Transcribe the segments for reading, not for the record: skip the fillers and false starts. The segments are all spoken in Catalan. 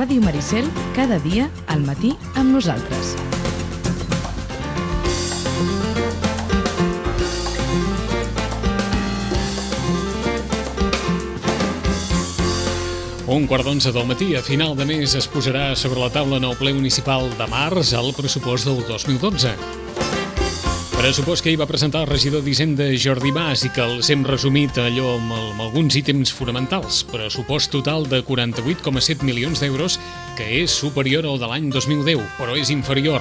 Ràdio Maricel, cada dia al matí amb nosaltres. Un quart d'11 del matí, a final de mes, es posarà sobre la taula en el ple municipal de març el pressupost del 2012. Pressupost que hi va presentar el regidor d'Hisenda Jordi Mas i que els hem resumit allò amb alguns ítems fonamentals. Pressupost total de 48,7 milions d'euros, que és superior al de l'any 2010, però és inferior.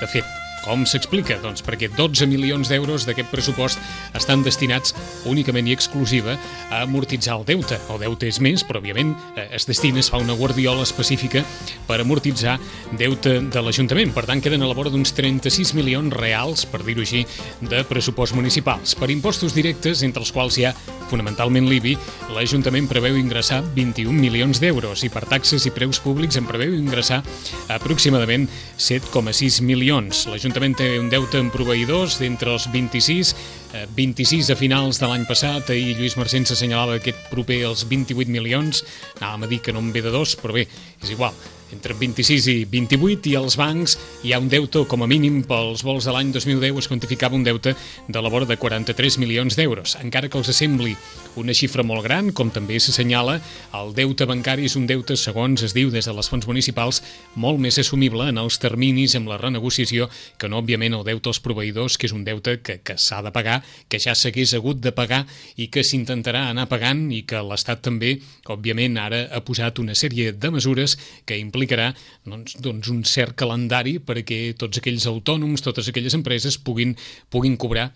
De fet, com s'explica? Doncs perquè 12 milions d'euros d'aquest pressupost estan destinats únicament i exclusiva a amortitzar el deute. El deute és més, però òbviament es fa una guardiola específica per amortitzar deute de l'Ajuntament. Per tant, queden a la vora d'uns 36 milions reals, per dir-ho així, de pressupost municipals. Per impostos directes, entre els quals hi ha fonamentalment l'IBI, l'Ajuntament preveu ingressar 21 milions d'euros i per taxes i preus públics en preveu ingressar aproximadament 7,6 milions. L'Ajuntament té un deute amb proveïdors d'entre els 26 a finals de l'any passat. Ahir Lluís Marcén s'assenyalava aquest proper als 28 milions. Anàvem a dir que no en ve de dos, però bé, és igual. Entre 26 i 28, i als bancs hi ha un deute, com a mínim pels vols de l'any 2010 es quantificava un deute de la vora de 43 milions d'euros. Encara que els sembli una xifra molt gran, com també s'assenyala, el deute bancari és un deute, segons es diu des de les fonts municipals, molt més assumible en els terminis amb la renegociació que no, òbviament, el deute als proveïdors, que és un deute que s'ha de pagar, que ja s'hagués hagut de pagar i que s'intentarà anar pagant i que l'Estat també, òbviament, ara ha posat una sèrie de mesures que implicarà doncs un cert calendari perquè tots aquells autònoms, totes aquelles empreses puguin cobrar,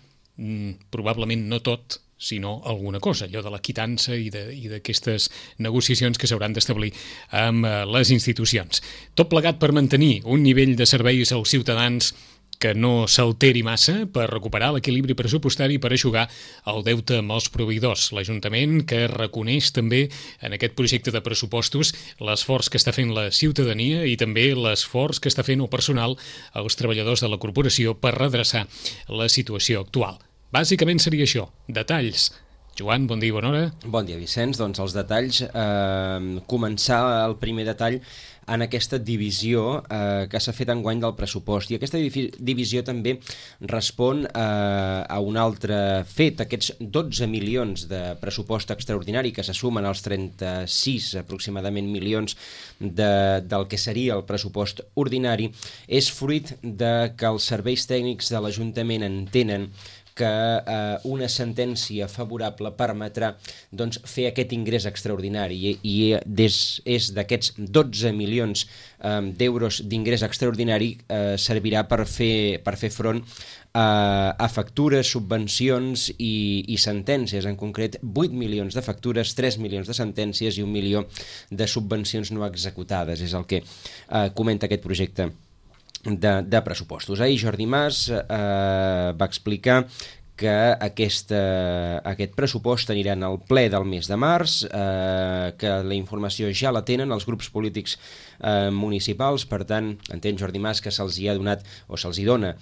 probablement no tot, sinó alguna cosa, allò de la quitança i d'aquestes negociacions que s'hauran d'establir amb les institucions. Tot plegat per mantenir un nivell de serveis als ciutadans que no s'alteri massa, per recuperar l'equilibri pressupostari i per eixugar el deute amb els proveïdors. L'Ajuntament, que reconeix també en aquest projecte de pressupostos l'esforç que està fent la ciutadania i també l'esforç que està fent el personal, els treballadors de la corporació, per redreçar la situació actual. Bàsicament seria això, detalls. Joan, bon dia i bona hora. Bon dia, Vicenç. Doncs els detalls, començar el primer detall en aquesta divisió que s'ha fet enguany del pressupost. I aquesta divisió també respon a un altre fet. Aquests 12 milions de pressupost extraordinari que se sumen als 36 aproximadament milions del que seria el pressupost ordinari és fruit de que els serveis tècnics de l'Ajuntament entenen que una sentència favorable permetrà fer aquest ingrés extraordinari i és d'aquests 12 milions d'euros d'ingrés extraordinari servirà per fer front a factures, subvencions i sentències, en concret 8 milions de factures, 3 milions de sentències i 1 milió de subvencions no executades, és el que comenta aquest projecte de pressupostos. Ahir Jordi Mas va explicar que aquest pressupost anirà al ple del mes de març, que la informació ja la tenen els grups polítics municipals, per tant, entén Jordi Mas que se'ls hi ha donat o se'ls hi dona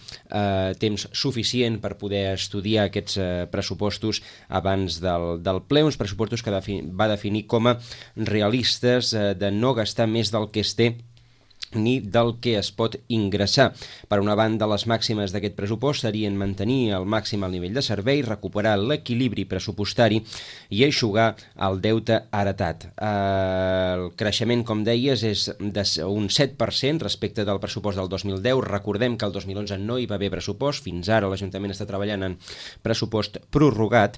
temps suficient per poder estudiar aquests pressupostos abans del ple, uns pressupostos que va definir com a realistes, de no gastar més del que es té ni del que es pot ingressar. Per una banda, les màximes d'aquest pressupost serien mantenir al màxim el nivell de servei, recuperar l'equilibri pressupostari i eixugar el deute heretat. El creixement, com deies, és d'un 7% respecte del pressupost del 2010. Recordem que el 2011 no hi va haver pressupost, fins ara l'Ajuntament està treballant en pressupost prorrogat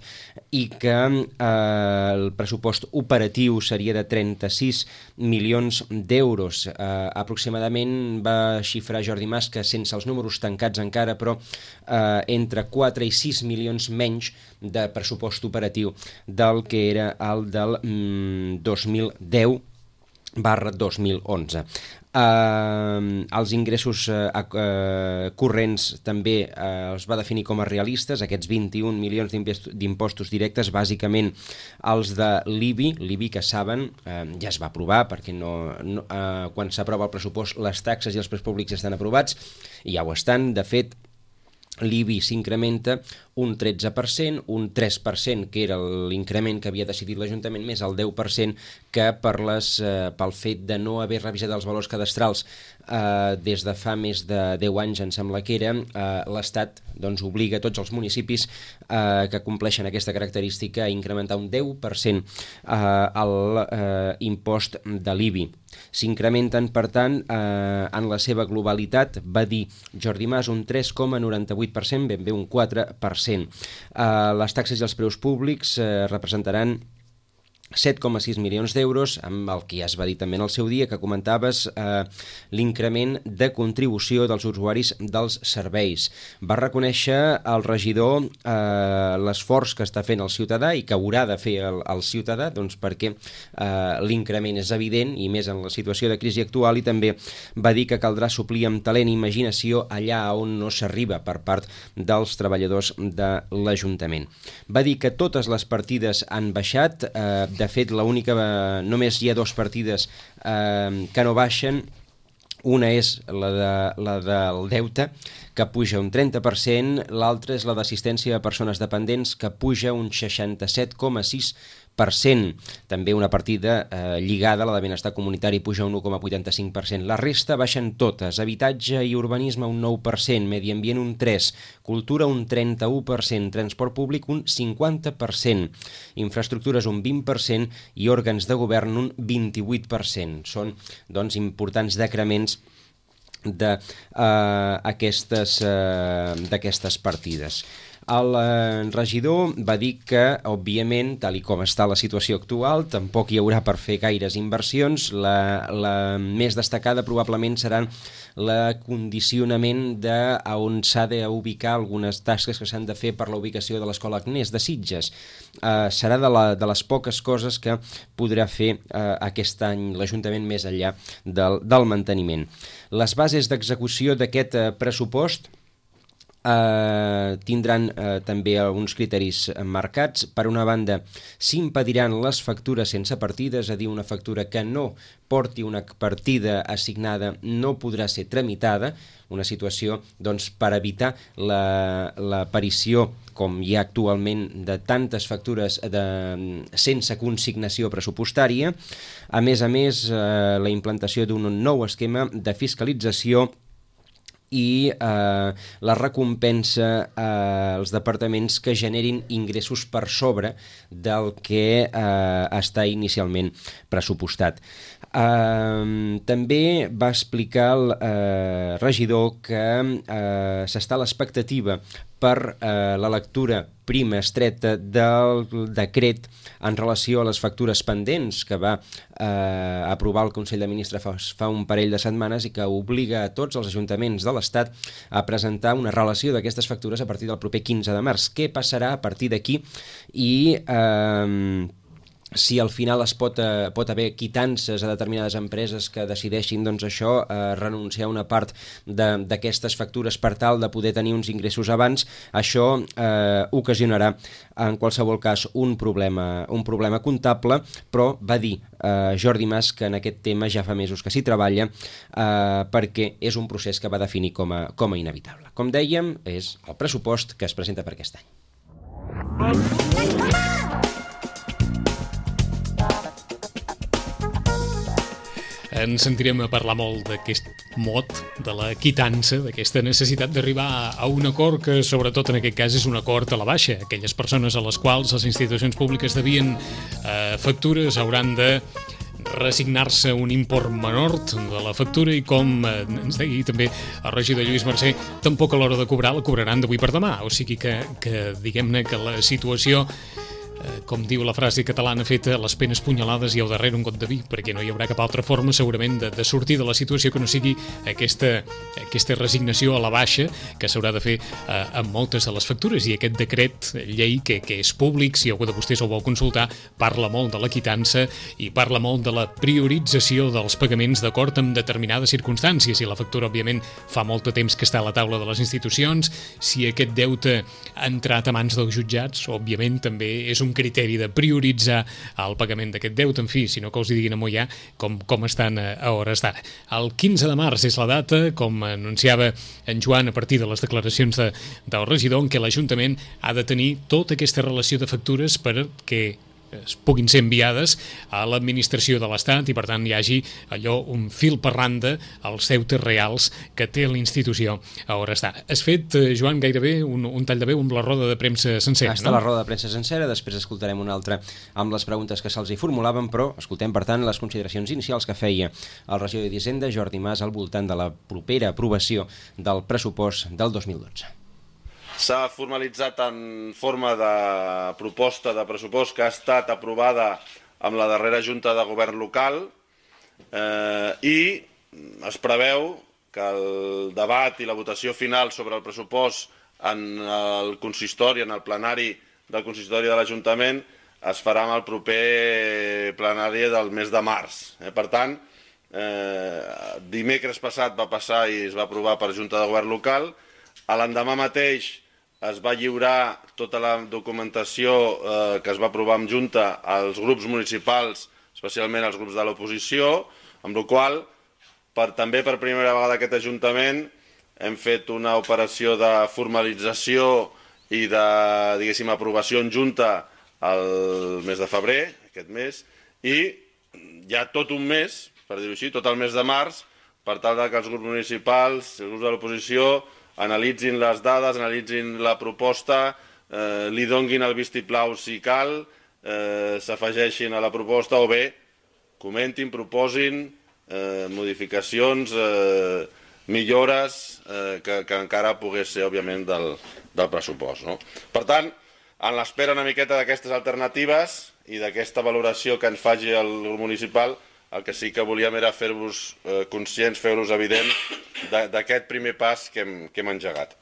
i que el pressupost operatiu seria de 36 milions d'euros. Aproximadament va xifrar Jordi Mas que sense els números tancats encara, però entre 4 i 6 milions menys de pressupost operatiu del que era el del 2010/2011. Els ingressos corrents també els va definir com a realistes, aquests 21 milions d'impostos directes, bàsicament els de l'IBI, que saben, ja es va aprovar, perquè quan s'aprova el pressupost les taxes i els preus públics estan aprovats, i ja ho estan. De fet, l'IBI s'incrementa un 13%, un 3% que era l'increment que havia decidit l'Ajuntament, més el 10% que pel fet de no haver revisat els valors cadastrals des de fa més de 10 anys, em sembla que era, l'Estat doncs, obliga tots els municipis que compleixen aquesta característica a incrementar un 10% l'impost de l'IBI. S'incrementen, per tant, en la seva globalitat, va dir Jordi Mas, un 3,98%, ben bé un 4%. Les taxes i els preus públics representaran 7,6 milions d'euros, amb el que ja es va dir també en el seu dia, que comentaves l'increment de contribució dels usuaris dels serveis. Va reconèixer el regidor l'esforç que està fent el ciutadà i que haurà de fer el ciutadà, doncs perquè l'increment és evident, i més en la situació de crisi actual, i també va dir que caldrà suplir amb talent i imaginació allà on no s'arriba per part dels treballadors de l'Ajuntament. Va dir que totes les partides han baixat. De fet, només hi ha 2 partides que no baixen. Una és la del deute, que puja un 30%, l'altra és la d'assistència a persones dependents, que puja un 67,6%. També una partida lligada a la de benestar comunitari puja un 1,85%. La resta baixen totes. Habitatge i urbanisme un 9%, medi ambient un 3%, cultura un 31%, transport públic un 50%, infraestructures un 20% i òrgans de govern un 28%. Són, doncs, importants decrements d'aquestes partides. El regidor va dir que, òbviament, tal i com està la situació actual, tampoc hi haurà per fer gaires inversions. La més destacada probablement serà l'acondicionament on s'ha d'ubicar algunes tasques que s'han de fer per la ubicació de l'Escola Agnès de Sitges. Serà de les poques coses que podrà fer aquest any l'Ajuntament més enllà del manteniment. Les bases d'execució d'aquest pressupost tindran també alguns criteris marcats. Per una banda, s'impediran les factures sense partida, és a dir, una factura que no porti una partida assignada no podrà ser tramitada, una situació doncs, per evitar l'aparició, com hi ha actualment, de tantes factures sense consignació pressupostària. A més, la implantació d'un nou esquema de fiscalització i la recompensa als departaments que generin ingressos per sobre del que està inicialment pressupostat. També va explicar el regidor que s'està a l'expectativa per la lectura prima estreta del decret en relació a les factures pendents que va aprovar el Consell de Ministres fa un parell de setmanes i que obliga a tots els ajuntaments de l'Estat a presentar una relació d'aquestes factures a partir del proper 15 de març. Què passarà a partir d'aquí i si al final es pot haver quitances a determinades empreses que decideixin doncs, això, renunciar a una part d'aquestes factures per tal de poder tenir uns ingressos abans, això ocasionarà en qualsevol cas un problema comptable, però va dir Jordi Mas que en aquest tema ja fa mesos que s'hi treballa perquè és un procés que va definir com a inevitable. Com dèiem, és el pressupost que es presenta per aquest any. Ens sentirem a parlar molt d'aquest mot, de la quitança, d'aquesta necessitat d'arribar a un acord que, sobretot en aquest cas, és un acord a la baixa. Aquelles persones a les quals les institucions públiques devien factures hauran de resignar-se un import menor de la factura i, com ens deia també el regidor Lluís Mercè, tampoc a l'hora de cobrar la cobraran d'avui per demà. O sigui que diguem-ne que la situació, com diu la frase catalana feta, les penes punyalades i al darrere un got de vi, perquè no hi haurà cap altra forma segurament de sortir de la situació que no sigui aquesta resignació a la baixa que s'haurà de fer amb moltes de les factures. I aquest decret llei que és públic, si algú de vostès el vol consultar, parla molt de la quitança i parla molt de la priorització dels pagaments d'acord amb determinades circumstàncies. I la factura, òbviament, fa molt de temps que està a la taula de les institucions. Si aquest deute ha entrat a mans dels jutjats, òbviament també és un un criteri de prioritzar el pagament d'aquest deute, en fi, sinó que us hi diguin a Moià com estan a hores d'ara. El 15 de març és la data, com anunciava en Joan a partir de les declaracions del regidor, en què l'Ajuntament ha de tenir tota aquesta relació de factures perquè es puguin ser enviades a l'administració de l'Estat i, per tant, hi hagi allò un fil per randa als deutes reals que té l'institució a hores d'ara. Has fet, Joan, gairebé un tall de veu amb la roda de premsa sencera, no? Està la roda de premsa sencera, després escoltarem una altra amb les preguntes que se'ls hi formulaven, però escoltem, per tant, les consideracions inicials que feia el regidor d'Hisenda, Jordi Mas, al voltant de la propera aprovació del pressupost del 2012. S'ha formalitzat en forma de proposta de pressupost que ha estat aprovada amb la darrera Junta de Govern local i es preveu que el debat i la votació final sobre el pressupost en el consistori, en el plenari del consistori de l'Ajuntament, es farà amb el proper plenari del mes de març. Per tant, dimecres passat va passar i es va aprovar per Junta de Govern local. L'endemà mateix es va lliurar tota la documentació que es va aprovar en Junta als grups municipals, especialment als grups de l'oposició, amb la qual cosa, també per primera vegada aquest Ajuntament hem fet una operació de formalització i de, diguéssim, aprovació en Junta el mes de febrer, aquest mes, i hi ha tot un mes, per dir-ho així, tot el mes de març, per tal que els grups municipals, els grups de l'oposició, analitzin les dades, analitzin la proposta, li donguin el vistiplau si cal, s'afegeixin a la proposta o bé comentin, proposin modificacions, millores que encara pogués ser, òbviament, del pressupost. Per tant, en l'espera una miqueta d'aquestes alternatives i d'aquesta valoració que ens faci el grup municipal, el que sí que volíem era fer-vos conscients, fer-vos evident d'aquest primer pas que hem engegat.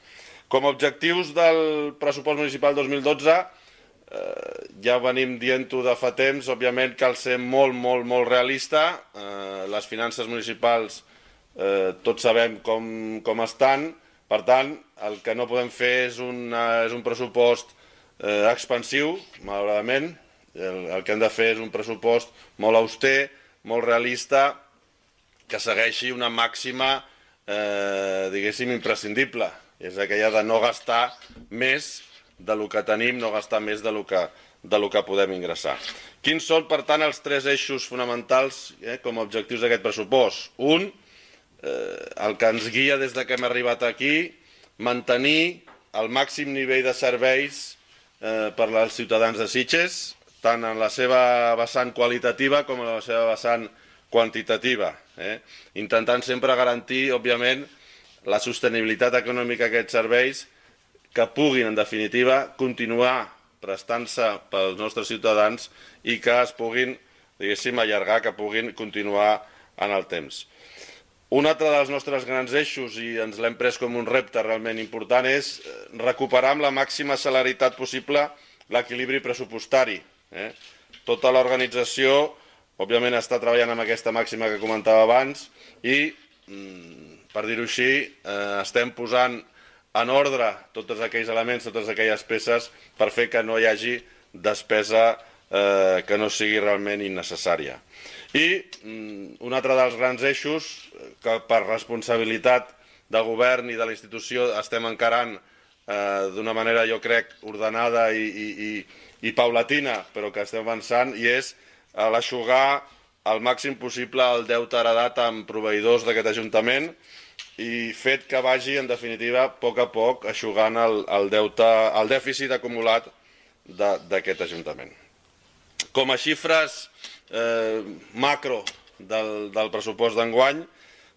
Com a objectius del pressupost municipal 2012, ja venim dient-ho de fa temps, òbviament cal ser molt, molt, molt realista. Les finances municipals tots sabem com estan, per tant, el que no podem fer és un pressupost expansiu, malauradament. El que hem de fer és un pressupost molt auster, molt realista, que segueixi una màxima, diguéssim, imprescindible. És aquella de no gastar més del que tenim, no gastar més del que podem ingressar. Quins són, per tant, els tres eixos fonamentals com a objectius d'aquest pressupost? Un, el que ens guia des que hem arribat aquí, mantenir el màxim nivell de serveis per als ciutadans de Sitges, tant en la seva vessant qualitativa com en la seva vessant quantitativa, intentant sempre garantir, òbviament, la sostenibilitat econòmica d'aquests serveis que puguin, en definitiva, continuar prestant-se pels nostres ciutadans i que es puguin, diguéssim, allargar, que puguin continuar en el temps. Un altre dels nostres grans eixos, i ens l'hem pres com un repte realment important, és recuperar amb la màxima celeritat possible l'equilibri pressupostari. Tota l'organització, òbviament, està treballant amb aquesta màxima que comentava abans i, per dir-ho així, estem posant en ordre tots aquells elements, totes aquelles peces per fer que no hi hagi despesa que no sigui realment innecessària. I un altre dels grans eixos que per responsabilitat del govern i de la institució estem encarant d'una manera, jo crec, ordenada i paulatina, però que estem avançant, i és l'eixugar al màxim possible el deute heredat amb proveïdors d'aquest Ajuntament i fet que vagi, en definitiva, a poc eixugant el dèficit acumulat d'aquest Ajuntament. Com a xifres macro del pressupost d'enguany,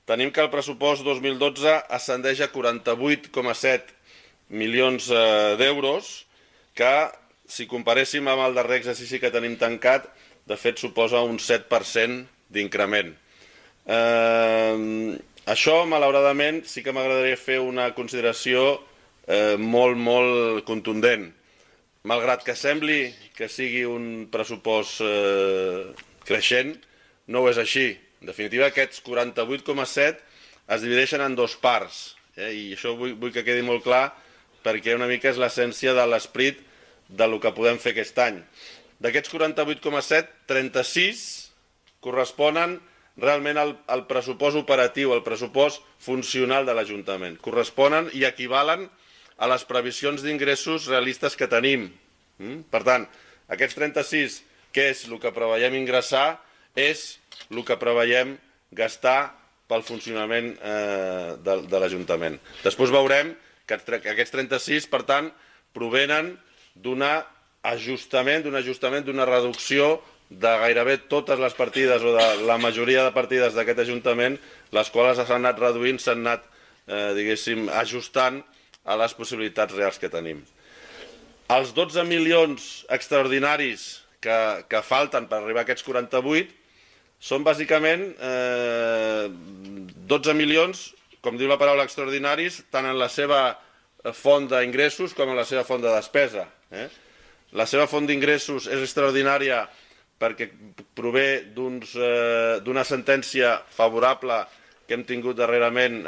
tenim que el pressupost 2012 ascendeix a 48,7 milions d'euros, que, si comparéssim amb el darrer exercici que tenim tancat, de fet suposa un 7% d'increment. Això, malauradament, sí que m'agradaria fer una consideració molt, molt contundent. Malgrat que sembli que sigui un pressupost creixent, no ho és així. En definitiva, aquests 48,7 es divideixen en dues parts, i això vull que quedi molt clar, perquè una mica és l'essència de l'esperit del que podem fer aquest any. D'aquests 48,7, 36 corresponen realment al pressupost operatiu, al pressupost funcional de l'Ajuntament. Corresponen i equivalen a les previsions d'ingressos realistes que tenim. Per tant, aquests 36, que és el que preveiem ingressar, és el que preveiem gastar pel funcionament de l'Ajuntament. Després veurem que aquests 36, per tant, provenen d'un ajustament, d'una reducció de gairebé totes les partides o de la majoria de partides d'aquest Ajuntament, les quals s'han anat reduint, s'han anat, diguéssim, ajustant a les possibilitats reals que tenim. Els 12 milions extraordinaris que falten per arribar a aquests 48 són bàsicament 12 milions, com diu la paraula extraordinaris, tant en la seva font d'ingressos com en la seva font de despesa. La seva font d'ingressos és extraordinària perquè prové d'una sentència favorable que hem tingut darrerament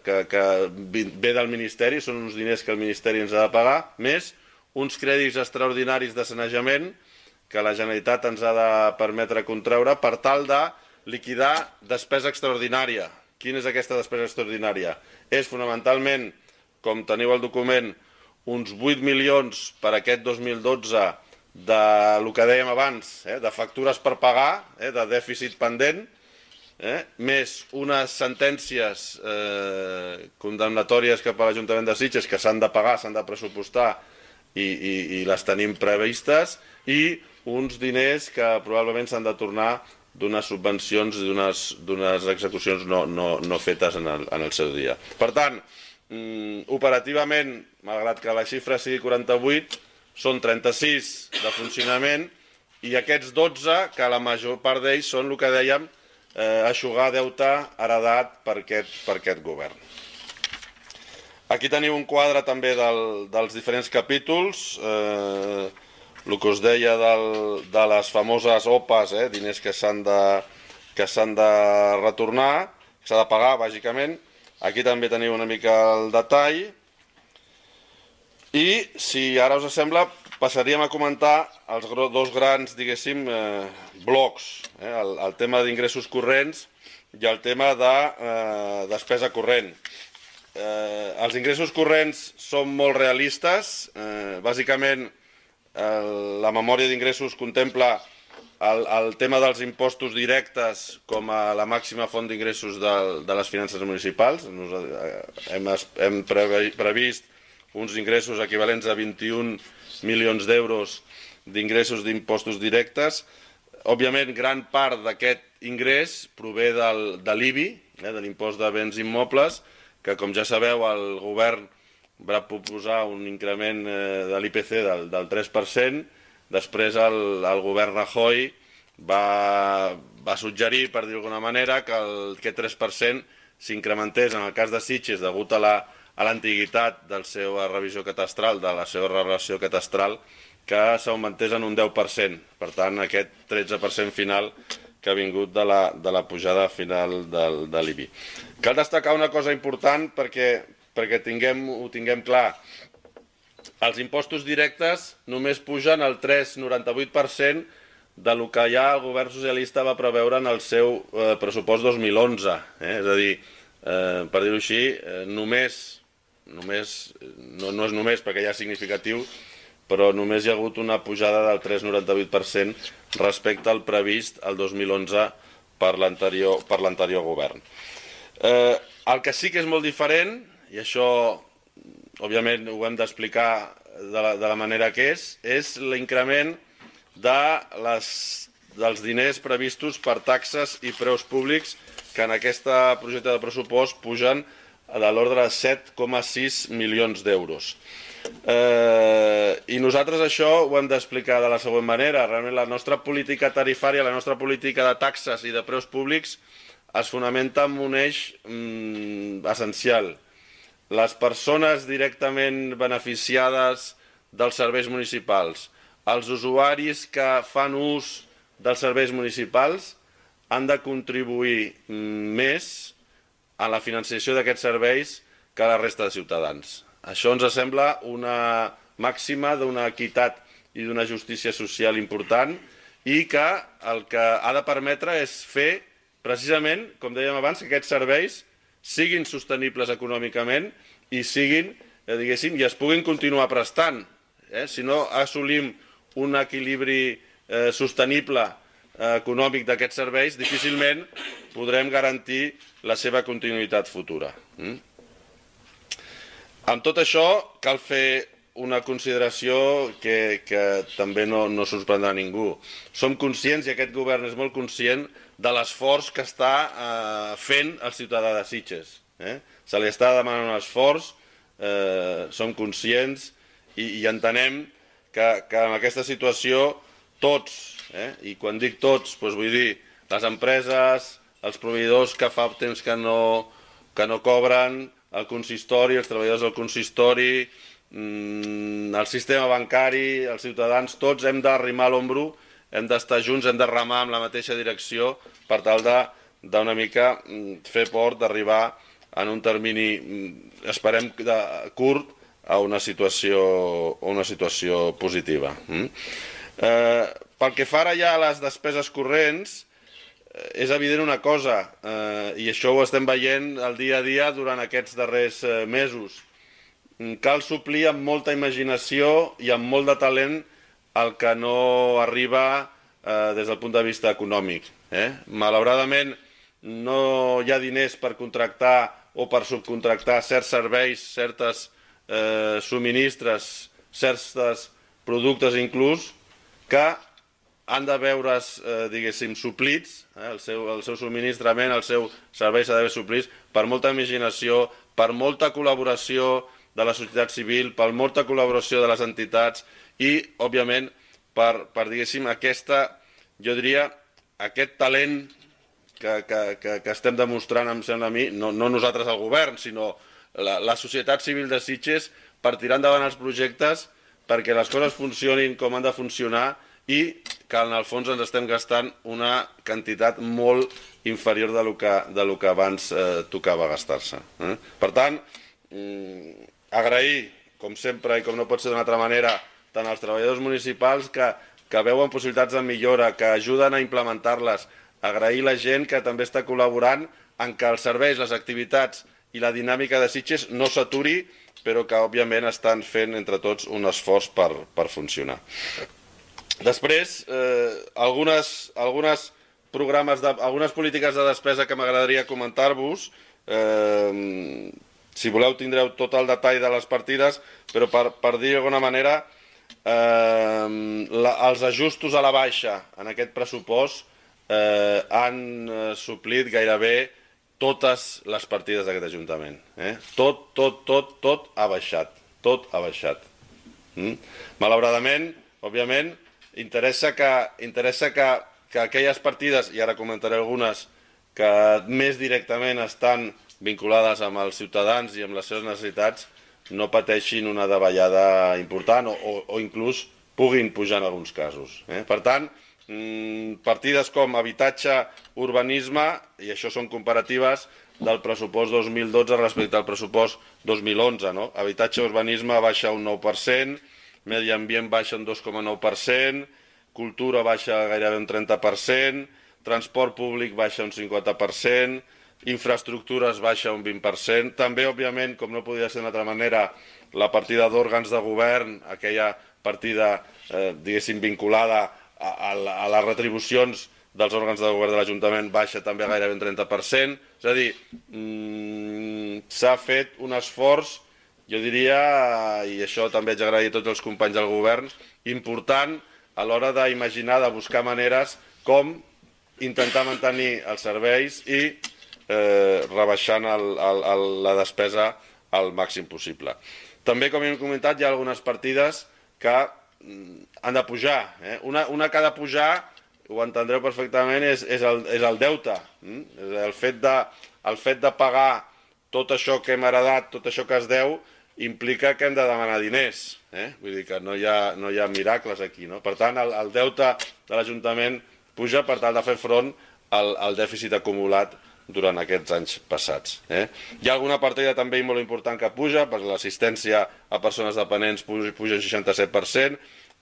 que ve del Ministeri, són uns diners que el Ministeri ens ha de pagar, més uns crèdits extraordinaris de sanejament que la Generalitat ens ha de permetre contreure per tal de liquidar despesa extraordinària. Quina és aquesta despesa extraordinària? És fonamentalment, com teniu al document, uns 8 milions per aquest 2012 del que dèiem abans, de factures per pagar, de dèficit pendent, més unes sentències condemnatòries cap a l'Ajuntament de Sitges que s'han de pagar, s'han de pressupostar i les tenim previstes, i uns diners que probablement s'han de tornar d'unes subvencions i d'unes execucions no fetes en el seu dia. Per tant, operativament, malgrat que la xifra sigui 48, són 36 de funcionament i aquests 12, que la major part d'ells són el que dèiem, eixugar deute heredat per aquest govern. Aquí teniu un quadre també dels diferents capítols, el que us deia de les famoses OPAs, diners que s'han de retornar, que s'ha de pagar, bàsicament. Aquí també teniu una mica el detall. I, si ara us sembla, passaríem a comentar els dos grans, diguéssim, blocs. El tema d'ingressos corrents i el tema de despesa corrent. Els ingressos corrents són molt realistes. Bàsicament, la memòria d'ingressos contempla el tema dels impostos directes com a la màxima font d'ingressos de les finances municipals. Hem previst uns ingressos equivalents a 21 milions d'euros d'ingressos d'impostos directes. Òbviament, gran part d'aquest ingrés prové de l'IBI, de l'impost de béns immobles, que, com ja sabeu, el govern va proposar un increment de l'IPC del 3%, després el govern Rajoy va suggerir, per dir d'alguna manera, que aquest 3% s'incrementés en el cas de Sitges degut a l'antiguitat de la seva revisió catastral, de la seva relació catastral, que s'augmentés en un 10%. Per tant, aquest 13% final que ha vingut de la pujada final de l'IBI. Cal destacar una cosa important perquè ho tinguem clar. Els impostos directes només pugen el 3,98% del que ja el govern socialista va preveure en el seu pressupost 2011. És a dir, per dir-ho així, no és només perquè ja és significatiu, però només hi ha hagut una pujada del 3,98% respecte al previst el 2011 per l'anterior govern. El que sí que és molt diferent, i això òbviament ho hem d'explicar de la manera que és l'increment dels diners previstos per taxes i preus públics que en aquest projecte de pressupost pugen de l'ordre de 7,6 milions d'euros. I nosaltres això ho hem d'explicar de la següent manera. Realment la nostra política tarifària, la nostra política de taxes i de preus públics es fonamenta en un eix essencial. Les persones directament beneficiades dels serveis municipals, els usuaris que fan ús dels serveis municipals han de contribuir més a la financiació d'aquests serveis que la resta de ciutadans. Això ens sembla una màxima, d'una equitat i d'una justícia social important, i que el que ha de permetre és fer, precisament, com dèiem abans, que aquests serveis siguin sostenibles econòmicament i siguin, diguéssim, i es puguin continuar prestant. Si no assolim un equilibri sostenible econòmic d'aquests serveis, difícilment podrem garantir la seva continuïtat futura. Amb tot això, cal fer una consideració que també no sorprendrà ningú. Som conscients, i aquest govern és molt conscient, de l'esforç que està fent el ciutadà de Sitges. Se li està demanant un esforç, som conscients i entenem que en aquesta situació tots, i quan dic tots, vull dir les empreses, els proveïdors que fa temps que no cobren, el consistori, els treballadors del consistori, el sistema bancari, els ciutadans, tots hem d'arrimar l'ombro, hem d'estar junts, hem de remar en la mateixa direcció per tal d'una mica fer port d'arribar en un termini, esperem, curt, a una situació positiva. Pel que fa ara ja a les despeses corrents, és evident una cosa, i això ho estem veient el dia a dia durant aquests darrers mesos. Cal suplir amb molta imaginació i amb molt de talent el que no arriba des del punt de vista econòmic. Malauradament no hi ha diners per contractar o per subcontractar certs serveis, certes subministres, certs productes inclús, que han de veure's, diguéssim, suplits, el seu subministrament, el seu servei s'ha d'haver suplits per molta imaginació, per molta col·laboració de la societat civil, per molta col·laboració de les entitats i, òbviament, per diguéssim, jo diria, aquest talent que estem demostrant, em sembla a mi, no nosaltres al govern, sinó la societat civil de Sitges, per tirar endavant els projectes, perquè les coses funcionin com han de funcionar i que en el fons ens estem gastant una quantitat molt inferior de lo que abans tocava gastar-se. Per tant, agrair, com sempre i com no pot ser d'una altra manera, tant als treballadors municipals que veuen possibilitats de millora, que ajuden a implementar-les, agrair la gent que també està col·laborant en que els serveis, les activitats i la dinàmica de Sitges no s'aturi, però que òbviament estan fent entre tots un esforç per funcionar. Després, algunes polítiques de despesa que m'agradaria comentar-vos. Si voleu tindreu tot el detall de les partides, però per dir d'alguna manera, els ajustos a la baixa en aquest pressupost han suplit gairebé totes les partides d'aquest Ajuntament. Tot ha baixat. Tot ha baixat. Malauradament, òbviament, interessa que aquelles partides, i ara comentaré algunes, que més directament estan vinculades amb els ciutadans i amb les seves necessitats, no pateixin una davallada important o inclús puguin pujar en alguns casos. Per tant, partides com habitatge, urbanisme, i això són comparatives del pressupost 2012 respecte al pressupost 2011. Habitatge, urbanisme baixa un 9%, medi ambient baixa un 2,9%, cultura baixa gairebé un 30%, transport públic baixa un 50%, infraestructures baixa un 20%, també, òbviament, com no podia ser d'una altra manera, la partida d'òrgans de govern, aquella partida, diguéssim, vinculada a les retribucions dels òrgans de govern de l'Ajuntament baixa també gairebé un 30%. És a dir, s'ha fet un esforç, jo diria, i això també haig d'agrair a tots els companys del govern, important a l'hora d'imaginar, de buscar maneres com intentar mantenir els serveis i rebaixant la despesa al màxim possible. També, com hem comentat, hi ha algunes partides que han de pujar. Una que ha de pujar, ho entendreu perfectament, és el deute. El fet de pagar tot això que hem heredat, tot això que es deu, implica que hem de demanar diners. Vull dir que no hi ha miracles aquí. Per tant, el deute de l'Ajuntament puja per tal de fer front al dèficit acumulat durant aquests anys passats. Hi ha alguna partida també molt important que puja, per l'assistència a persones dependents puja un 67%,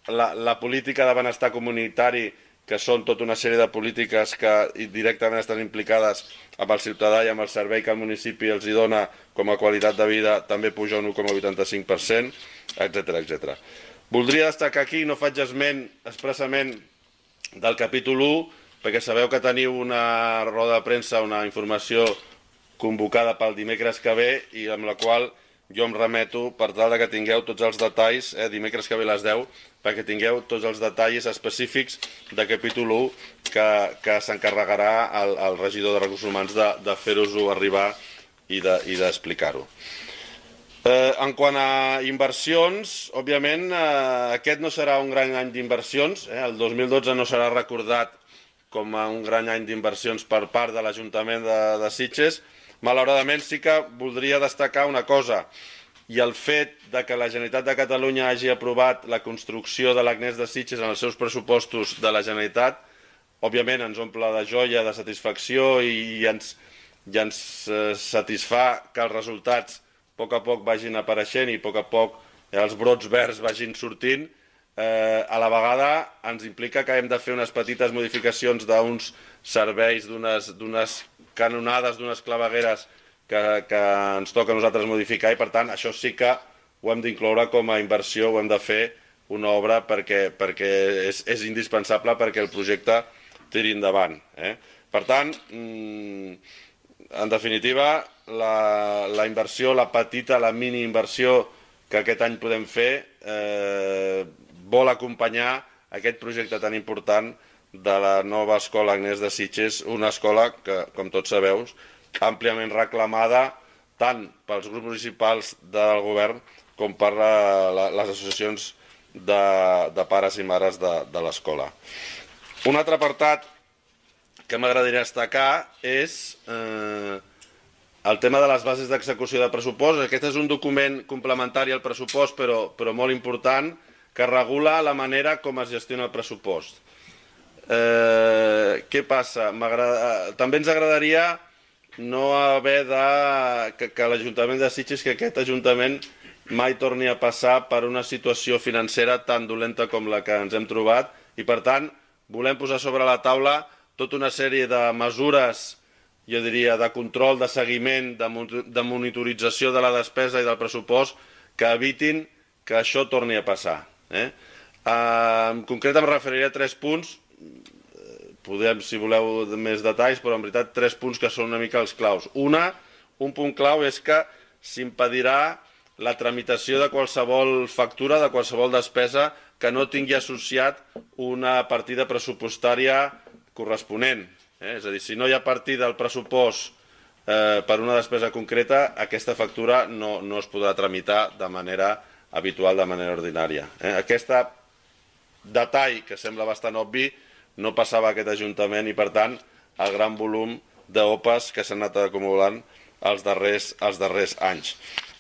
la política de benestar comunitari, que són tota una sèrie de polítiques que directament estan implicades amb el ciutadà i amb el servei que el municipi els hi dona com a qualitat de vida, també puja un 1,85%, etc. Voldria destacar aquí, no faig esment expressament del capítol 1, perquè sabeu que teniu una roda de premsa, una informació convocada pel dimecres que ve i amb la qual jo em remeto per tal que tingueu tots els detalls, dimecres que ve a les 10, perquè tingueu tots els detalls específics de capítol 1 que s'encarregarà el regidor de Recursos Humans de fer-vos-ho arribar i d'explicar-ho. En quant a inversions, òbviament aquest no serà un gran any d'inversions, el 2012 no serà recordat com a un gran any d'inversions per part de l'Ajuntament de Sitges. Malauradament sí que voldria destacar una cosa, i el fet de que la Generalitat de Catalunya hagi aprovat la construcció de l'Agnès de Sitges en els seus pressupostos de la Generalitat, òbviament ens omple de joia, de satisfacció i ens satisfà que els resultats a poc vagin apareixent i a poc els brots verds vagin sortint. A la vegada ens implica que hem de fer unes petites modificacions d'uns serveis, d'unes canonades, d'unes clavegueres que ens toca a nosaltres modificar i per tant això sí que ho hem d'incloure com a inversió, ho hem de fer una obra perquè és indispensable perquè el projecte tiri endavant. Per tant, en definitiva, la inversió, la petita, la mini inversió que aquest any podem fer vol acompanyar aquest projecte tan important de la nova escola Agnès de Sitges, una escola que, com tots sabeu, àmpliament reclamada tant pels grups municipals del govern com per les associacions de pares i mares de l'escola. Un altre apartat que m'agradaria destacar és el tema de les bases d'execució de pressupost. Aquest és un document complementari al pressupost, però molt important, que regula la manera com es gestiona el pressupost. Què passa? També ens agradaria no haver que l'Ajuntament de Sitges, que aquest Ajuntament mai torni a passar per una situació financera tan dolenta com la que ens hem trobat i, per tant, volem posar sobre la taula tota una sèrie de mesures, jo diria, de control, de seguiment, de monitorització de la despesa i del pressupost que evitin que això torni a passar. En concret em referiré a 3 punts, podem, si voleu, més detalls, però en veritat 3 punts que són una mica els claus. Un punt clau és que s'impedirà la tramitació de qualsevol factura, de qualsevol despesa que no tingui associat una partida pressupostària corresponent. És a dir, si no hi ha partida al pressupost per una despesa concreta, aquesta factura no es podrà tramitar de manera habitual, de manera ordinària. Aquest detall, que sembla bastant obvi, no passava a aquest Ajuntament i, per tant, el gran volum d'OPAs que s'han anat acumulant els darrers anys.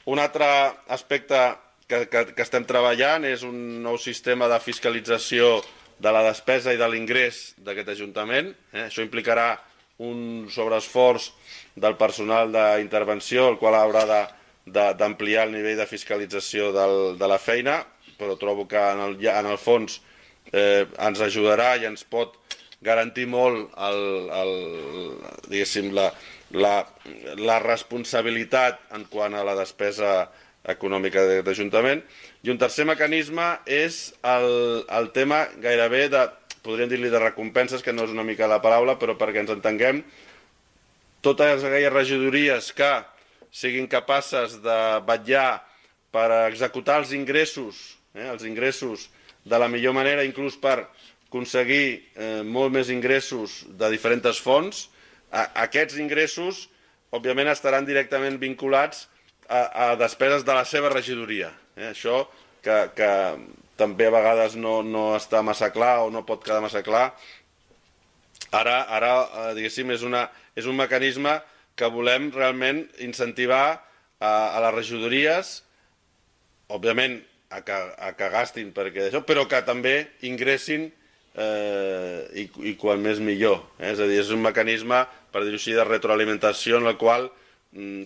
Un altre aspecte que estem treballant és un nou sistema de fiscalització de la despesa i de l'ingrés d'aquest Ajuntament. Això implicarà un sobreesforç del personal d'intervenció, el qual haurà d'ampliar el nivell de fiscalització de la feina, però trobo que en el fons ens ajudarà i ens pot garantir molt la responsabilitat en quant a la despesa econòmica de l'Ajuntament. I un tercer mecanisme és el tema gairebé de, podríem dir-li, de recompenses, que no és una mica la paraula, però perquè ens entenguem, totes aquelles regidories que siguin capaces de vetllar per executar els ingressos de la millor manera, inclús per aconseguir molt més ingressos de diferents fonts. Aquests ingressos, òbviament, estaran directament vinculats a despeses de la seva regidoria. Això que també a vegades no està massa clar o no pot quedar massa clar. Ara diguéssim, és un mecanisme que volem realment incentivar a les regidories, òbviament, a que gastin perquè d'això, però que també ingressin i quan més millor. És a dir, és un mecanisme, per dir-ho així, de retroalimentació en el qual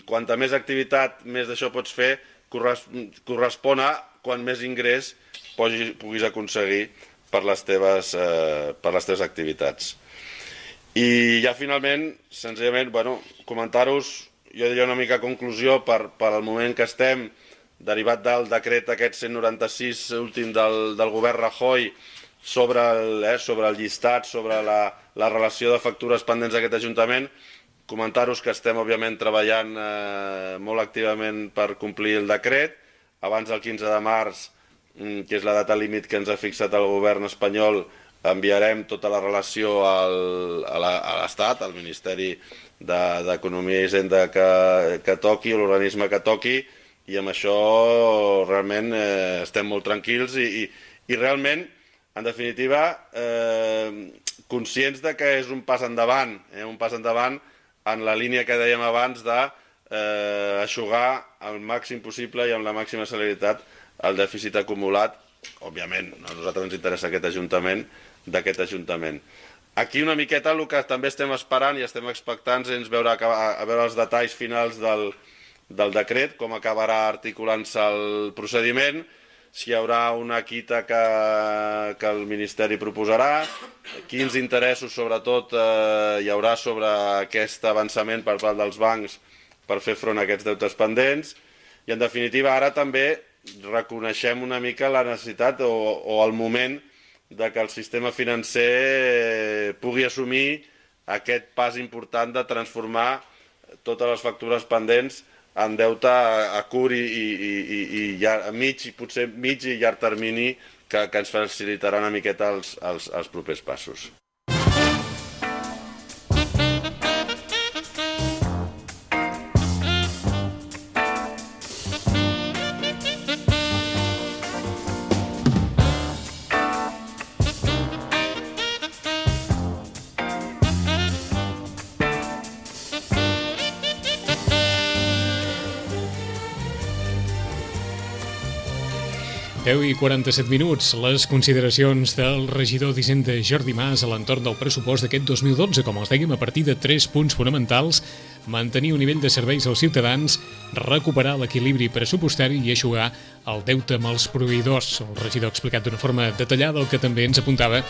quanta més activitat, més d'això pots fer, correspon a quan més ingrés puguis aconseguir per les teves activitats. I ja finalment, senzillament, comentar-vos, jo diria una mica conclusió per al moment que estem, derivat del decret aquest 196 últim del govern Rajoy sobre el llistat, sobre la relació de factures pendents d'aquest Ajuntament, comentar-vos que estem, òbviament, treballant molt activament per complir el decret. Abans del 15 de març, que és la data límit que ens ha fixat el govern espanyol, enviarem tota la relació a l'Estat, al Ministeri d'Economia i Hisenda que toqui, l'organisme que toqui, i amb això realment estem molt tranquils i realment, en definitiva, conscients de que és un pas endavant en la línia que dèiem abans d'aixugar al màxim possible i amb la màxima celeritat el dèficit acumulat. Òbviament, a nosaltres ens interessa d'aquest Ajuntament. Aquí una miqueta el que també estem esperant i estem expectants és veure els detalls finals del decret, com acabarà articulant-se el procediment, si hi haurà una quita que el Ministeri proposarà, quins interessos sobretot hi haurà sobre aquest avançament per part dels bancs per fer front a aquests deutes pendents, i en definitiva ara també reconeixem una mica la necessitat o el moment de que el sistema financer pugui assumir aquest pas important de transformar totes les factures pendents en deute a curt i potser mig i llarg termini que ens facilitarà una miqueta els propers passos. I 47 minuts, les consideracions del regidor d'Hisenda Jordi Mas a l'entorn del pressupost d'aquest 2012, com els dèiem, a partir de 3 punts fonamentals: mantenir un nivell de serveis als ciutadans, recuperar l'equilibri pressupostari i eixugar el deute amb els proveïdors. El regidor ha explicat d'una forma detallada el que també ens apuntava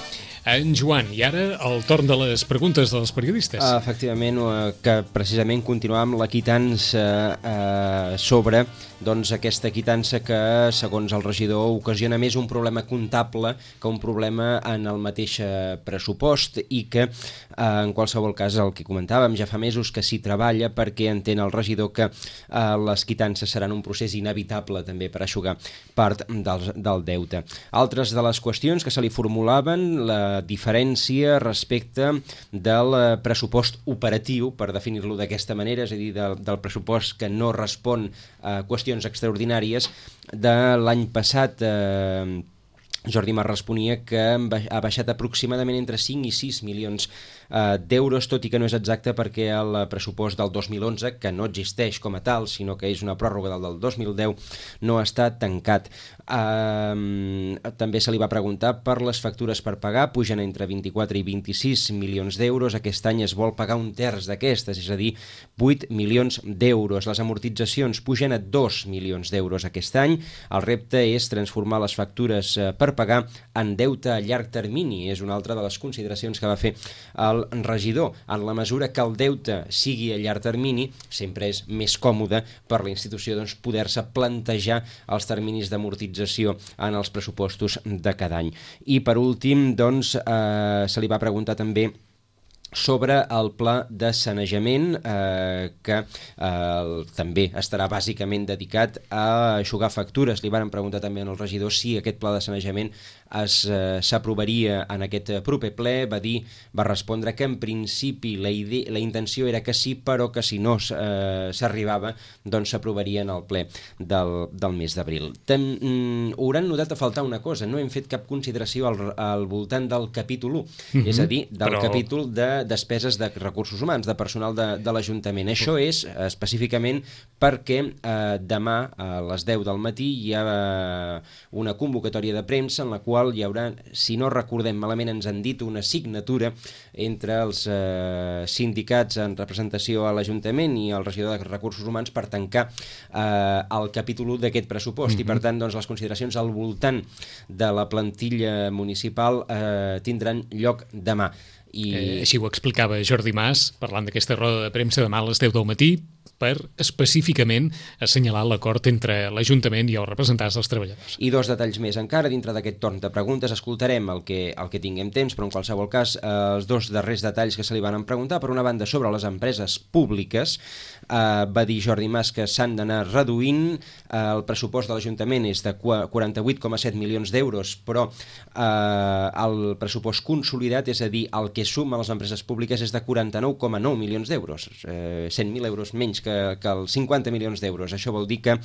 en Joan. I ara el torn de les preguntes dels periodistes. Efectivament, que precisament continuàvem la quitança sobre aquesta quitança que, segons el regidor, ocasiona més un problema comptable que un problema en el mateix pressupost, i que, en qualsevol cas, el que comentàvem, ja fa mesos que s'hi treballa perquè entén el regidor que les quitances seran un procés inevitable també per eixugar part del deute. Altres de les qüestions que se li formulaven, la diferència respecte del pressupost operatiu, per definir-lo d'aquesta manera, és a dir, del pressupost que no respon a qüestions extraordinàries. De l'any passat, Jordi Mas responia que ha baixat aproximadament entre 5 i 6 milions d'euros, tot i que no és exacte perquè el pressupost del 2011, que no existeix com a tal, sinó que és una pròrroga del 2010, no està tancat. També se li va preguntar per les factures per pagar, pugen entre 24 i 26 milions d'euros. Aquest any es vol pagar un terç d'aquestes, és a dir, 8 milions d'euros. Les amortitzacions pugen a 2 milions d'euros aquest any. El repte és transformar les factures per pagar en deute a llarg termini. És una altra de les consideracions que va fer el regidor. En la mesura que el deute sigui a llarg termini, sempre és més còmode per la institució poder-se plantejar els terminis d'amortització en els pressupostos de cada any. I per últim, se li va preguntar també sobre el pla de sanejament, que també estarà bàsicament dedicat a eixugar factures. Li van preguntar també al regidor si aquest pla de sanejament s'aprovaria en aquest proper ple. Va respondre que en principi la intenció era que sí, però que si no s'arribava, doncs s'aprovaria en el ple del mes d'abril. Hauran notat a faltar una cosa: no hem fet cap consideració al voltant del capítol 1, és a dir, del capítol de despeses de recursos humans, de personal de l'Ajuntament. Això és específicament perquè demà a les 10 del matí hi ha una convocatòria de premsa en la qual hi haurà, si no recordem malament, ens han dit una signatura entre els sindicats en representació a l'Ajuntament i el regidor de Recursos Humans per tancar el capítol 1 d'aquest pressupost i per tant doncs, les consideracions al voltant de la plantilla municipal tindran lloc demà. Així ho explicava Jordi Mas parlant d'aquesta roda de premsa demà a les 10 del matí per específicament assenyalar l'acord entre l'Ajuntament i els representants dels treballadors. I dos detalls més encara dintre d'aquest torn de preguntes. Escoltarem el que tinguem temps, però en qualsevol cas els dos darrers detalls que se li van preguntar. Per una banda, sobre les empreses públiques, va dir Jordi Mas que s'han d'anar reduint. El pressupost de l'Ajuntament és de 48,7 milions d'euros, però el pressupost consolidat, és a dir, el que suma les empreses públiques és de 49,9 milions d'euros, 100.000 euros menys que els 50 milions d'euros. Això vol dir que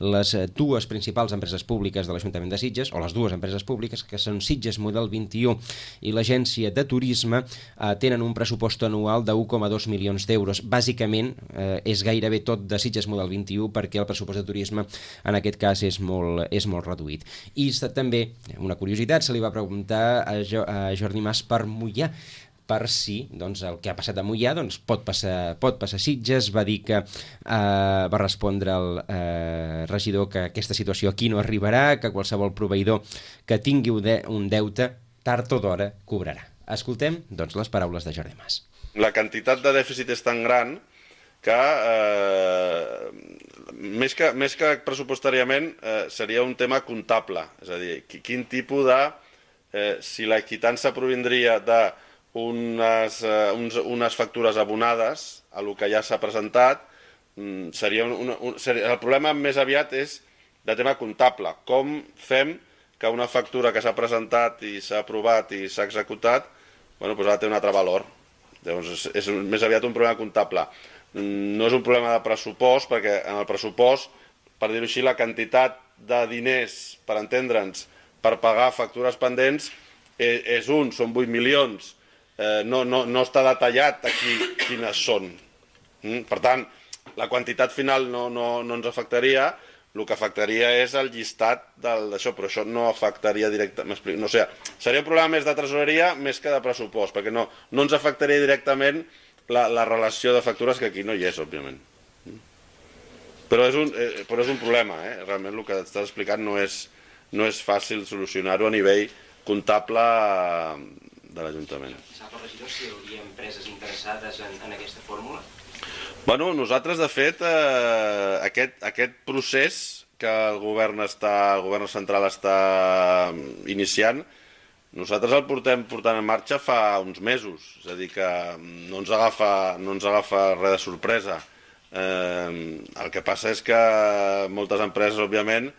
les dues principals empreses públiques de l'Ajuntament de Sitges, o les dues empreses públiques, que són Sitges Model 21 i l'Agència de Turisme, tenen un pressupost anual de 1,2 milions d'euros. Bàsicament, és gairebé tot de Sitges Model 21 perquè el pressupost de turisme en aquest cas és molt reduït. I també, una curiositat, se li va preguntar a Jordi Mas per Moià, per si doncs, el que ha passat a Moià doncs, pot passar a Sitges. Va dir que va respondre el regidor que aquesta situació aquí no arribarà, que qualsevol proveïdor que tingui un deute tard o d'hora cobrarà. Escoltem doncs, les paraules de Jordi Mas. La quantitat de dèficit és tan gran que més que pressupostàriament seria un tema comptable, és a dir, quin tipus de si la quitança provindria de unes factures abonades a lo que ja s'ha presentat, el problema més aviat és de tema comptable. Com fem que una factura que s'ha presentat i s'ha aprovat i s'ha executat, bueno, doncs ara té un altre valor. Llavors és més aviat un problema comptable. No és un problema de pressupost, perquè en el pressupost, per dir-ho així, la quantitat de diners, per entendre'ns, per pagar factures pendents són 8 milions. No està detallat aquí quines són. Per tant, la quantitat final no ens afectaria, el que afectaria és el llistat d'això, però això no afectaria directament. No sé, seria un problema més de tresoreria més que de pressupost, perquè no ens afectaria directament la relació de factures, que aquí no hi és, òbviament. Però és un problema, realment el que estàs explicant no és fàcil solucionar-ho a nivell comptable de l'Ajuntament. Sap el regidor si hi hauria empreses interessades en aquesta fórmula? Bueno, nosaltres, de fet, aquest procés que el govern central està iniciant, nosaltres el portem portant en marxa fa uns mesos, és a dir, que no ens agafa res de sorpresa. El que passa és que moltes empreses, òbviament,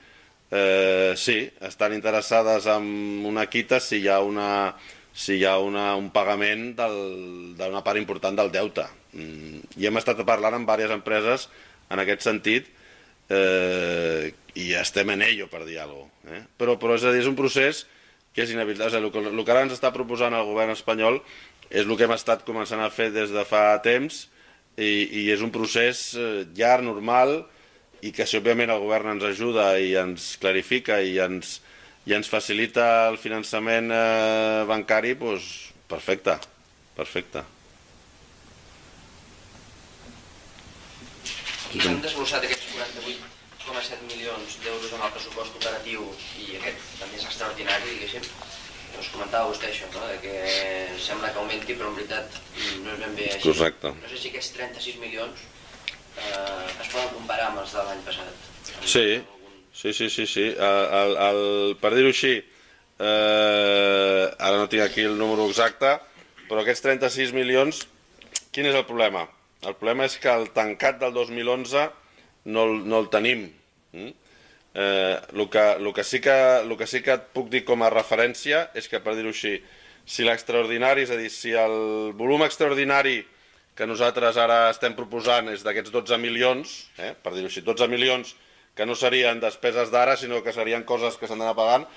sí, estan interessades en una quita si hi ha un pagament d'una part important del deute. I hem estat parlant amb diverses empreses en aquest sentit i estem en ello, per dir alguna cosa. Però és a dir, és un procés que és inevitable. El que ara ens està proposant el govern espanyol és el que hem estat començant a fer des de fa temps i és un procés llarg, normal, i que si òbviament el govern ens ajuda i ens clarifica i ens facilita el finançament bancari, doncs perfecte. I s'han desglossat aquests 48,7 milions d'euros en el pressupost operatiu i aquest també és extraordinari, diguéssim. Us comentava vostè això, no? Que sembla que augmenti, però en veritat no és ben bé així. Correcte. No sé si aquests 36 milions es poden comparar amb els de l'any passat. Sí. Per dir-ho així, ara no tinc aquí el número exacte, però aquests 36 milions, quin és el problema? El problema és que el tancat del 2011 no el tenim. El que sí que et puc dir com a referència és que, per dir-ho així, si l'extraordinari, és a dir, si el volum extraordinari que nosaltres ara estem proposant és d'aquests 12 milions, per dir-ho així, 12 milions que no serien despeses d'ara, sinó que serien coses que s'han d'anar pagant,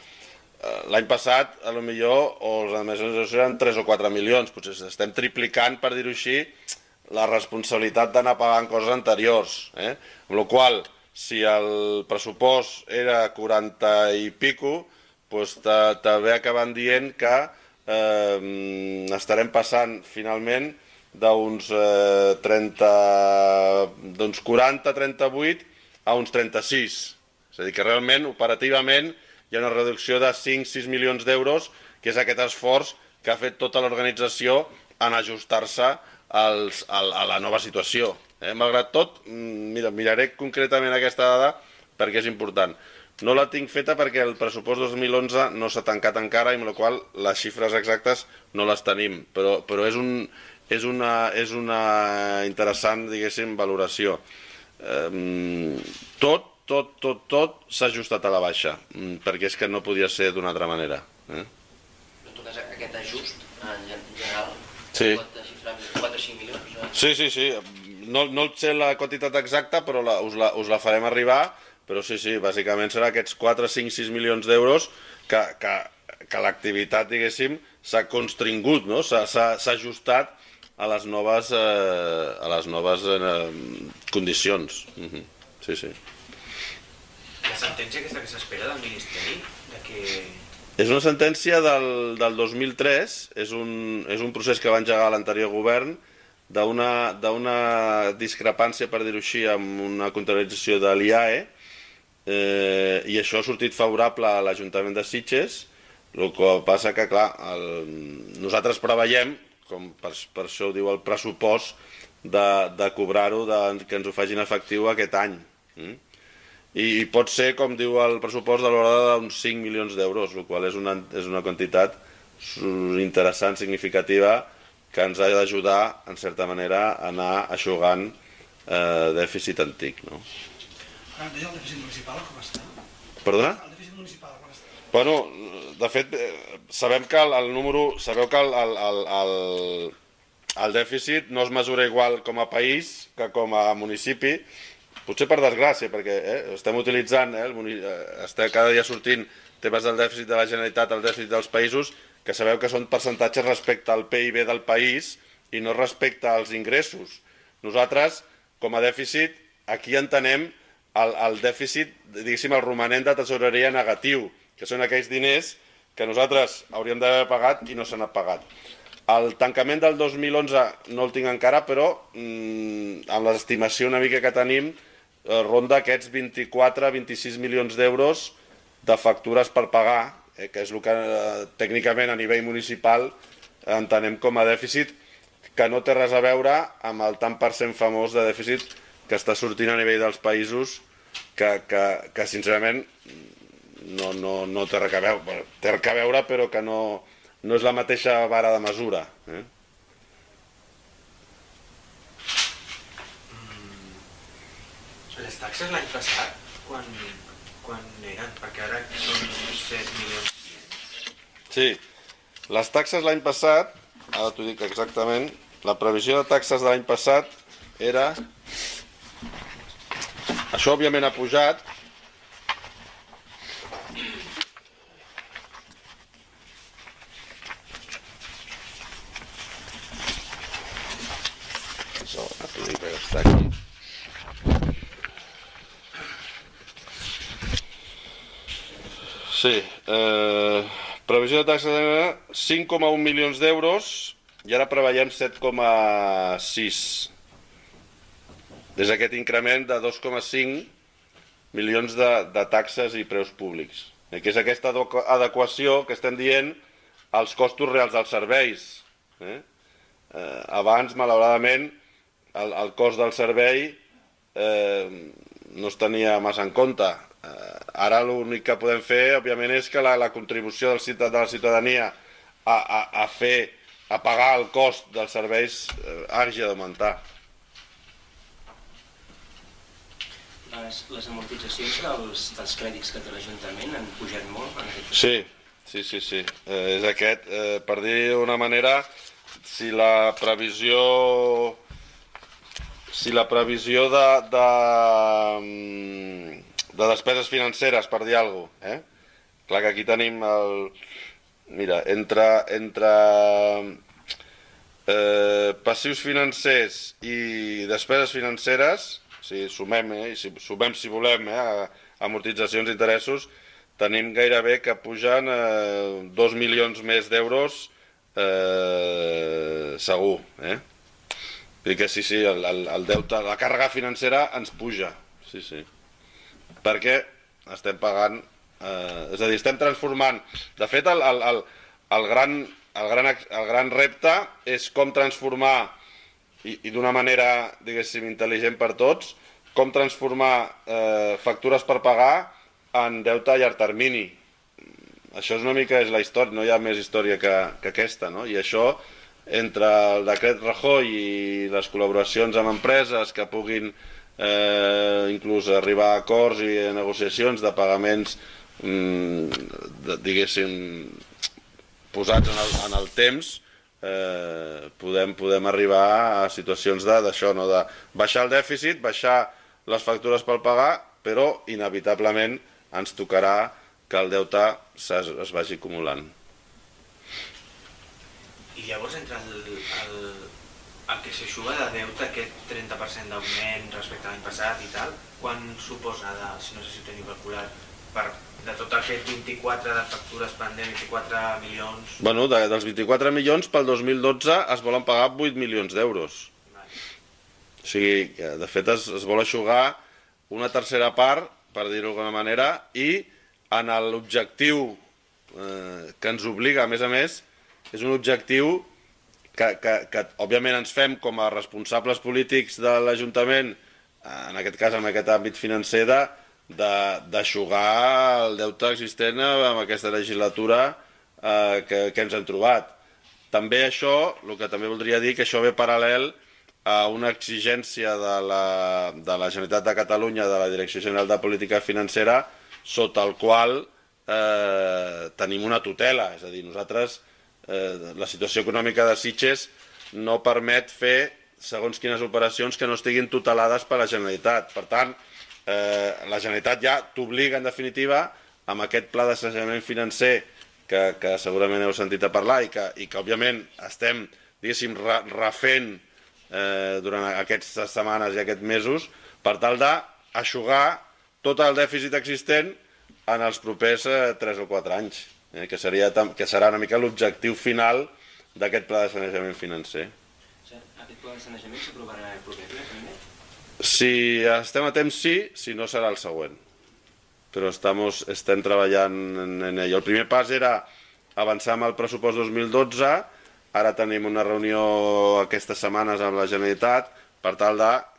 l'any passat, a lo millor, o les administracions eren 3 o 4 milions, potser estem triplicant, per dir-ho així, la responsabilitat d'anar pagant coses anteriors. Amb la qual cosa, si el pressupost era 40 i pico, doncs també acabant dient que estarem passant finalment d'uns 40-38 a uns 36. És a dir, que realment, operativament, hi ha una reducció de 5-6 milions d'euros, que és aquest esforç que ha fet tota l'organització en ajustar-se a la nova situació. Malgrat tot, miraré concretament aquesta dada perquè és important. No la tinc feta perquè el pressupost 2011 no s'ha tancat encara i amb la qual les xifres exactes no les tenim, però és una interessant, diguéssim, valoració. Tot s'ha ajustat a la baixa, perquè és que no podia ser d'una altra manera. En tot cas, aquest ajust, en general, pot xifrar 4 o 5 milions? Sí. No sé la quantitat exacta, però us la farem arribar, però sí, bàsicament serà aquests 4, 5, 6 milions d'euros que l'activitat, diguéssim, s'ha constringut, no? S'ha ajustat a les noves condicions. Sí. La sentència aquesta que s'espera del Ministeri? És una sentència del 2003, és un procés que va engegar l'anterior govern d'una discrepància, per dir-ho així, amb una contractació de l'IAE, i això ha sortit favorable a l'Ajuntament de Sitges, el que passa que, clar, nosaltres preveiem, com per això ho diu el pressupost, de cobrar-ho, que ens ho facin efectiu aquest any. I pot ser, com diu el pressupost, de l'ordre d'uns 5 milions d'euros, el qual és una quantitat interessant, significativa, que ens ha d'ajudar, en certa manera, a anar eixugant dèficit antic. El dèficit municipal com està? Perdona? El dèficit municipal com està? Bueno, de fet, sabeu que el dèficit no es mesura igual com a país que com a municipi, potser per desgràcia, perquè estem utilitzant, estem cada dia sortint temes del dèficit de la Generalitat, el dèficit dels països, que sabeu que són percentatges respecte al PIB del país i no respecte als ingressos. Nosaltres, com a dèficit, aquí entenem el dèficit, diguéssim, el romanent de tesoreria negatiu, que són aquells diners que nosaltres hauríem d'haver pagat i no s'han pagat. El tancament del 2011 no el tinc encara, però amb l'estimació una mica que tenim, ronda aquests 24-26 milions d'euros de factures per pagar, que és el que tècnicament a nivell municipal entenem com a dèficit, que no té res a veure amb el tant per cent famós de dèficit que està sortint a nivell dels països, que sincerament no té res a veure, té res a veure, però que no és la mateixa vara de mesura. Les taxes l'any passat, quan eren? Perquè ara són 7 milions. Sí, les taxes l'any passat, ara t'ho dic exactament, la previsió de taxes de l'any passat era... Això òbviament ha pujat. Ara t'ho dic, està aquí. Sí, previsió de taxes de 5,1 milions d'euros i ara preveiem 7,6. Des d'aquest increment de 2,5 milions de taxes i preus públics, que és aquesta adequació que estem dient als costos reals dels serveis. Abans, malauradament, el cost del servei no es tenia massa en compte. Ara l'únic que podem fer, òbviament, és que la contribució de la ciutadania a pagar el cost dels serveis hagi d'augmentar. Les amortitzacions dels crèdits que té l'Ajuntament han pujat molt? Sí. És aquest. Per dir d'una manera, si la previsió de despeses financeres, per dir alguna cosa, Clar que aquí tenim el... Mira, entre passius financers i despeses financeres, si sumem, si volem, amortitzacions i interessos, tenim gairebé que pugen 2 milions més d'euros segur. Vull dir que sí, el deute, la càrrega financera ens puja, sí. Perquè estem pagant, és a dir, estem transformant. De fet, el gran repte és com transformar, i d'una manera, diguéssim, intel·ligent per tots, com transformar factures per pagar en deute a llarg termini. Això és una mica la història, no hi ha més història que aquesta, no? I això, entre el decret Rajoy i les col·laboracions amb empreses que puguin inclús arribar a acords i negociacions de pagaments, diguéssim, posats en el temps, podem arribar a situacions d'això, de baixar el dèficit, baixar les factures per pagar, però inevitablement ens tocarà que el deute es vagi acumulant. I llavors, entre el que s'eixuga de deute, aquest 30% d'augment respecte a l'any passat i tal, quan suposa, si no sé si ho teniu calculat, de tot aquest 24 de factures pendents, 24 milions... Bueno, dels 24 milions, pel 2012 es volen pagar 8 milions d'euros. O sigui, de fet es vol eixugar una tercera part, per dir-ho d'alguna manera, i en l'objectiu que ens obliga, a més, és un objectiu que òbviament ens fem com a responsables polítics de l'Ajuntament, en aquest cas en aquest àmbit financer, d'eixugar el deute existent en aquesta legislatura que ens hem trobat. També això, el que també voldria dir, que això ve paral·lel a una exigència de la Generalitat de Catalunya, de la Direcció General de Política Financera, sota el qual tenim una tutela. És a dir, nosaltres, la situació econòmica de Sitges no permet fer segons quines operacions que no estiguin tutelades per la Generalitat. Per tant, la Generalitat ja t'obliga, en definitiva, amb aquest pla d'assessorament financer que segurament heu sentit a parlar i que òbviament estem, diguéssim, refent durant aquestes setmanes i aquests mesos, per tal d'eixugar tot el dèficit existent en els propers 3 o 4 anys, que serà una mica l'objectiu final d'aquest pla de sanejament financer. Aquest pla de sanejament s'aprovarà el proper ple, també? Si estem a temps, sí, si no serà el següent. Però estem treballant en ell. El primer pas era avançar amb el pressupost 2012, ara tenim una reunió aquestes setmanes amb la Generalitat per tal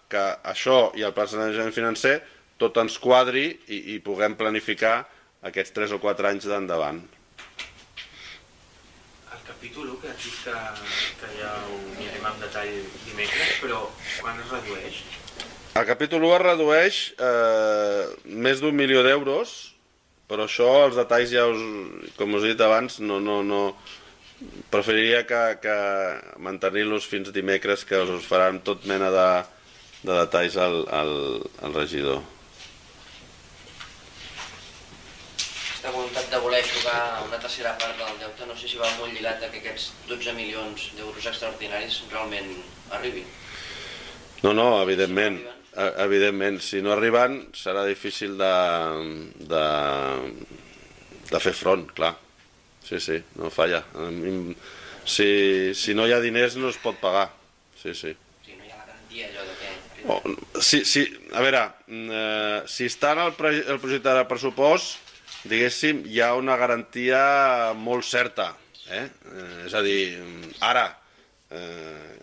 que això i el pla de sanejament financer tot ens quadri i puguem planificar aquests 3 o 4 anys d'endavant. El capítol 1, que has dit que ja ho mirarem en detall dimecres, però quan es redueix? El capítol 1 es redueix més d'1 milió d'euros, però això, els detalls ja com us he dit abans, no preferiria que mantenir-los fins dimecres, que us faran tot mena de detalls al regidor. Aquesta voluntat de voler jugar una tercera part del deute, no sé si va molt lligat a que aquests 12 milions d'euros extraordinaris realment arribin. No, evidentment. Evidentment, si no arriben serà difícil de fer front, clar. Sí, no falla. Si no hi ha diners no es pot pagar. Sí. Sí, no hi ha la garantia allò de que... A veure, si està en el projecte de pressupost, diguéssim, hi ha una garantia molt certa. És a dir, ara,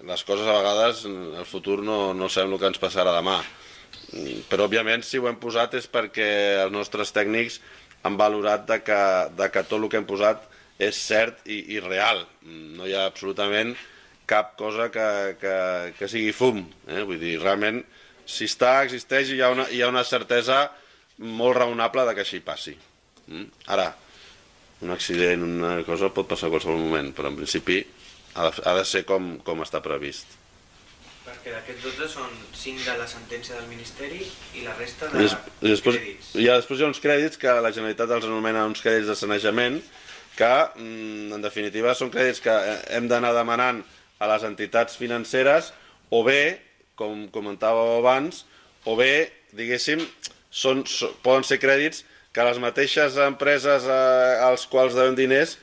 les coses a vegades, el futur no sabem el que ens passarà demà. Però, òbviament, si ho hem posat és perquè els nostres tècnics han valorat que tot el que hem posat és cert i real. No hi ha absolutament cap cosa que sigui fum. Vull dir, realment, si existeix i hi ha una certesa molt raonable que així passi. Ara, un accident, una cosa pot passar a qualsevol moment, però en principi ha de ser com està previst. Per Perquè d'aquests 12 són 5 de la sentència del Ministeri i la resta I de crèdits. Després hi ha uns crèdits que la Generalitat els anomena uns crèdits de sanejament, que en definitiva són crèdits que hem d'anar demanant a les entitats financeres, o bé, com comentàveu abans, o bé, diguéssim, poden ser crèdits que les mateixes empreses als quals devem diners,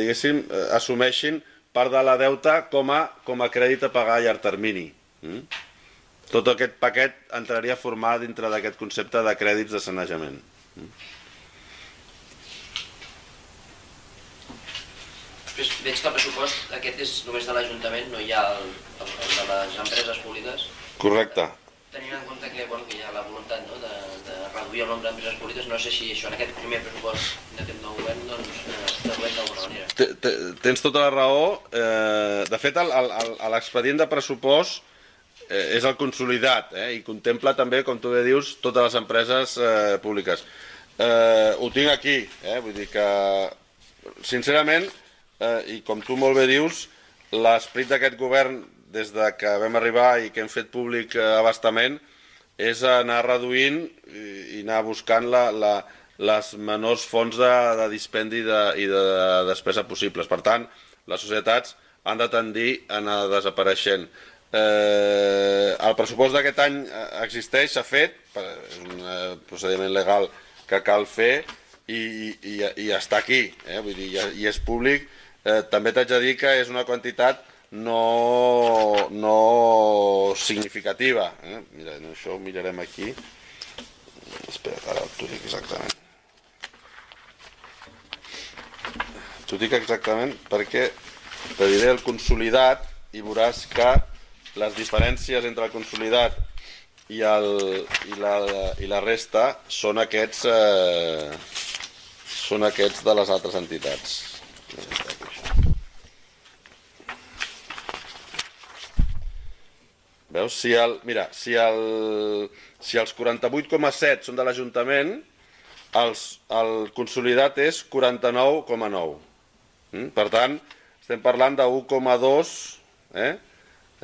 diguéssim, assumeixin part de la deuta com a crèdit a pagar a llarg termini. Tot aquest paquet entraria a formar dintre d'aquest concepte de crèdits de sanejament. Després veig que el pressupost aquest és només de l'Ajuntament, no hi ha el de les empreses públiques. Correcte. Tenint en compte que hi ha la voluntat de reduir el nombre d'empreses públiques, no sé si això en aquest primer pressupost d'aquest nou govern es tradueix d'alguna manera. Tens tota la raó. De fet, l'expedient de pressupost és el consolidat i contempla també, com tu bé dius, totes les empreses públiques. Ho tinc aquí, vull dir que, sincerament, i com tu molt bé dius, l'esperit d'aquest govern des que vam arribar i que hem fet públic abastament és anar reduint i anar buscant les menors fonts de dispendi i de despesa possibles. Per tant, les societats han de tendir a anar desapareixent. El pressupost d'aquest any existeix, s'ha fet, és un procediment legal que cal fer i està aquí, vull dir, i és públic. També t'haig de dir que és una quantitat no significativa. Mira, això ho mirarem aquí. Espera, ara t'ho dic exactament. T'ho dic exactament perquè te diré el consolidat i veuràs que les diferències entre el consolidat i la resta són aquests de les altres entitats. Veus? Si els 48,7 són de l'Ajuntament, el consolidat és 49,9. Per tant, estem parlant de 1,2,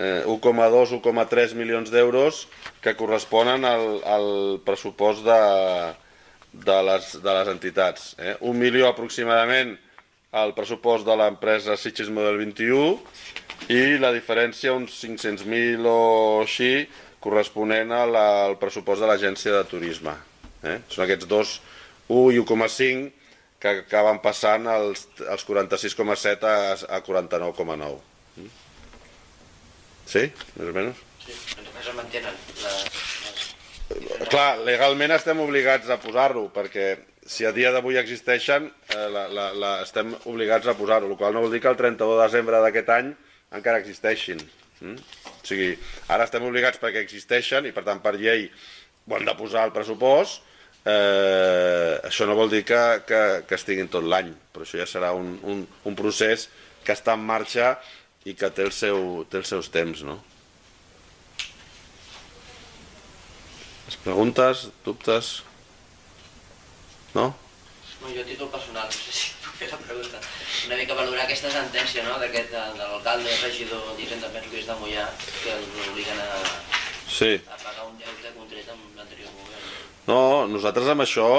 1,3 milions d'euros que corresponen al pressupost de les entitats. 1 milió aproximadament al pressupost de l'empresa Sitges Model 21 i la diferència, uns 500.000 o així, corresponent al pressupost de l'Agència de Turisme. Són aquests dos, 1 i 1,5, que acaben passant els 46,7 a 49,9. Sí? Més o menys? Sí, només es mantenen. Clar, legalment estem obligats a posar-ho, perquè si a dia d'avui existeixen, estem obligats a posar-ho, el qual no vol dir que el 31 de desembre d'aquest any encara existeixin. O sigui, ara estem obligats perquè existeixen i per tant per llei ho hem de posar al pressupost. Això no vol dir que estiguin tot l'any, però això ja serà un procés que està en marxa i que té els seus temps, no? Preguntes, dubtes? No? Jo a títol personal, no sé si puc fer la pregunta. Una mica valorar aquesta sentència, no?, de l'alcalde i regidor d'Hisenda, penso que és de Moià, que l'obliguen a pagar un deute contret amb l'anterior govern. No, nosaltres amb això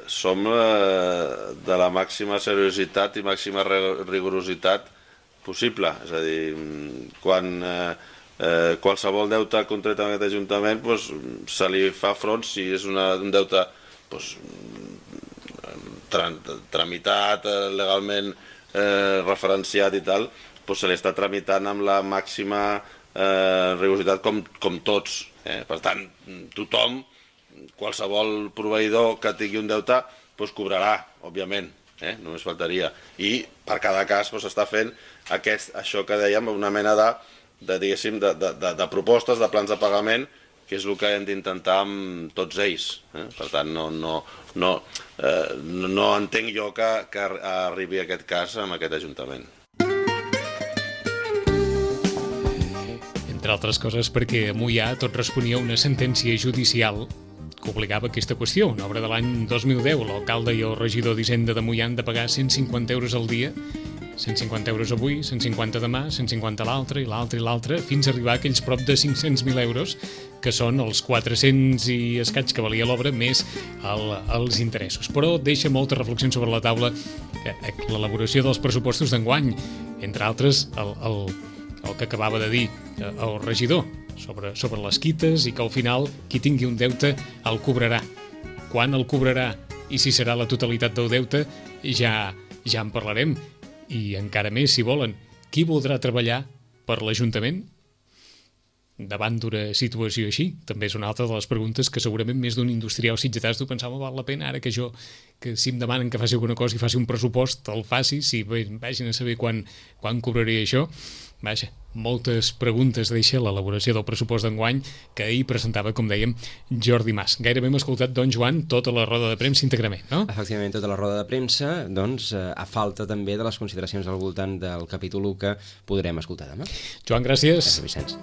som de la màxima seriositat i màxima rigorositat possible. És a dir, quan qualsevol deute contret amb aquest Ajuntament se li fa front, si és un deute tramitat, legalment referenciat i tal, se li està tramitant amb la màxima rigorositat com tots. Per tant, tothom, qualsevol proveïdor que tingui un deute, cobrarà, òbviament, només faltaria. I per cada cas s'està fent això que dèiem, una mena de propostes, de plans de pagament, que és el que hem d'intentar amb tots ells. Per tant, no entenc jo que arribi aquest cas amb aquest Ajuntament. Entre altres coses perquè a Moià tot responia a una sentència judicial que obligava aquesta qüestió. Una obra de l'any 2010, l'alcalde i el regidor d'Hisenda de Moià han de pagar 150 euros al dia 150 euros avui, 150 demà, 150 l'altre, i l'altre, i l'altre, fins a arribar a aquells prop de 500.000 euros, que són els 400 i escaig que valia l'obra, més els interessos. Però deixa moltes reflexions sobre la taula l'elaboració dels pressupostos d'enguany, entre altres el que acabava de dir el regidor, sobre les quites, i que al final qui tingui un deute el cobrarà. Quan el cobrarà i si serà la totalitat del deute ja en parlarem. I encara més, si volen, qui voldrà treballar per l'Ajuntament davant d'una situació així? També és una altra de les preguntes que segurament més d'un industrial sitgetà es deu pensar, val la pena ara que si em demanen que faci alguna cosa i faci un pressupost, el faci, si vagin a saber quan cobraré això. Vaja, moltes preguntes deixa l'elaboració del pressupost d'enguany que ahir presentava, com dèiem, Jordi Mas. Gairebé hem escoltat, doncs, Joan, tota la roda de premsa íntegrament, no? Efectivament, tota la roda de premsa, doncs, a falta també de les consideracions al voltant del capítol 1 que podrem escoltar demà. Joan, gràcies. Gràcies, Vicenç.